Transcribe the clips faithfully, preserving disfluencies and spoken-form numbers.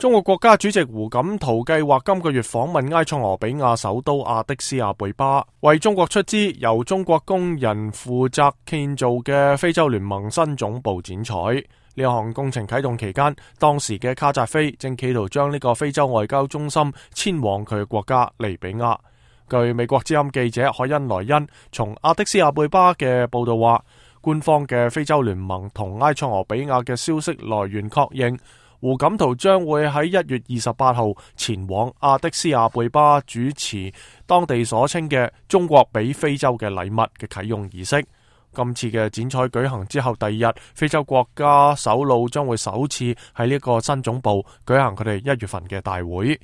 中國國家主席胡錦濤計劃今個月訪問埃塞俄比亞首都亞的斯亞貝巴，為中國出資由中國工人負責建造嘅非洲聯盟新總部剪彩。呢項工程啟動期間，當時嘅卡扎菲正企圖將呢個非洲外交中心遷往佢嘅國家利比亞。據美國之音記者海恩萊恩從亞的斯亞貝巴嘅報道話，官方嘅非洲聯盟同埃塞俄比亞嘅消息來源確認，胡錦濤將會喺一月二十八號前往亞的斯亞貝巴主持當地所稱嘅中國俾非洲嘅禮物嘅啟用儀式。今次嘅剪彩舉行之後第二日，非洲國家首腦將會首次喺呢個新總部舉行佢哋一月份嘅大會。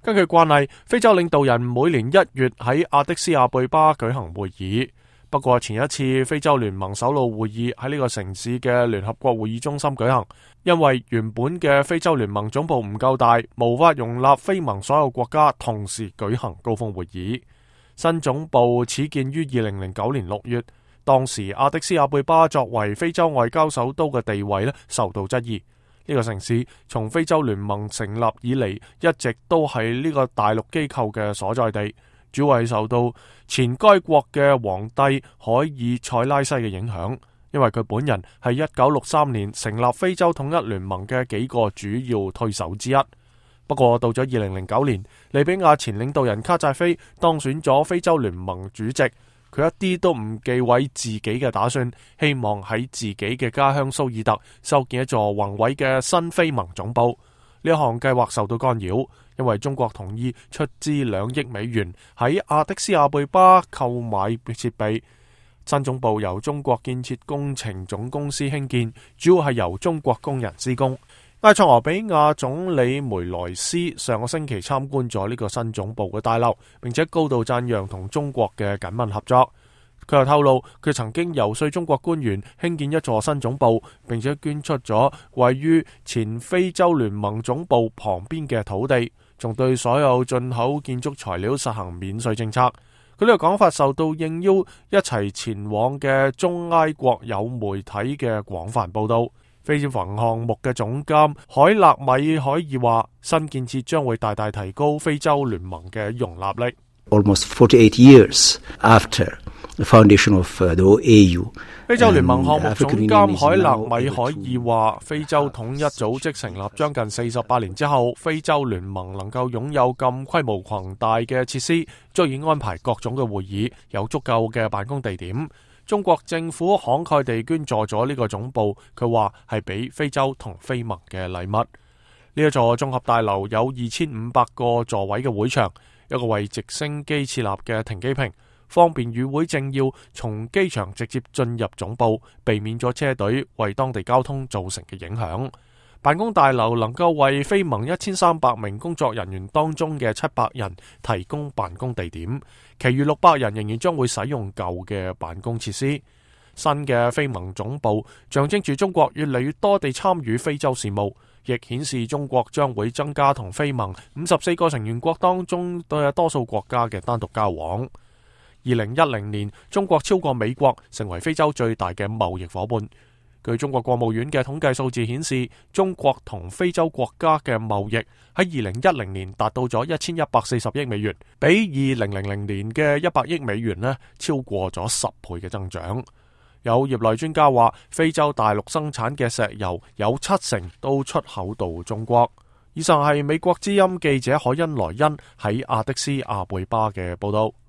根據慣例，非洲領導人每年一月喺亞的斯亞貝巴舉行會議。不過前一次非洲聯盟首腦會議喺呢個城市嘅聯合國會議中心舉行，因為原本嘅非洲聯盟總部唔夠大，無法容納非盟所有國家同時舉行高峰會議。新總部始建於二零零九年六月，當時亞的斯亞貝巴作為非洲外交首都嘅地位呢受到質疑。呢個城市從非洲聯盟成立以嚟，一直都係呢個大陸機構嘅所在地。主要係受到前該國嘅皇帝海爾塞拉西嘅影響，因為佢本人係一九六三年成立非洲統一聯盟嘅幾個主要推手之一。不過到咗二零零九年，利比亞前領導人卡扎菲當選咗非洲聯盟主席，佢一啲都唔忌諱自己嘅打算，希望喺自己嘅家鄉蘇爾特修建一座宏偉嘅新非盟總部。呢項計劃受到干擾，因為中國同意出資兩億美元喺亞的斯亞貝巴購買設備。新總部由中國建設工程總公司興建，主要係由中國工人施工。埃塞俄比亞總理梅萊斯上個星期參觀咗呢個新總部嘅大樓，並且高度讚揚同中國嘅緊密合作。佢又透露，佢曾經遊說中國官員興建一座新總部，並且捐出咗位於前非洲聯盟總部旁邊嘅土地，仲對所有進口建築材料實行免稅政策。佢呢個講法受到應邀一齊前往嘅中埃國有媒體嘅廣泛報道。非洲項目嘅總監海勒米海爾話，新建設將會大大提高非洲聯盟嘅容納力。Almost forty-eight years after the foundation of the A U， 非洲聯盟項目總監海勒米海爾話，非洲統一組織成立將近四十八年之後，非洲聯盟能夠擁有咁規模龐大嘅設施，足以安排各種嘅會議，有足夠嘅辦公地點。中國政府慷慨地捐助咗呢個總部，佢話係俾非洲同非盟嘅禮物。呢一座綜合大樓有二千五百個座位嘅會場，一個為直升機設立嘅停機坪，方便與會政要從機場直接進入總部，避免咗車隊為當地交通造成嘅影響。辦公大樓能夠為非盟一千三百名工作人員當中嘅七百人提供辦公地點，其餘六百人仍然將會使用舊嘅辦公設施。新嘅非盟總部象徵住中國越嚟越多地參與非洲事務，亦顯示中國將會增加同非盟五十四個成員國當中對多數國家嘅單獨交往。二零一零年，中國超過美國成為非洲最大嘅貿易夥伴。據中國國務院嘅統計數字顯示，中國同非洲國家嘅貿易喺二零一零年達到咗一千一百四十億美元，比二零零零年嘅一百億美元呢超過咗十倍嘅增長。有業內專家話，非洲大陸生產嘅石油有七成都出口到中國。以上係美國之音記者海恩萊恩喺亞的斯亞貝巴嘅報道。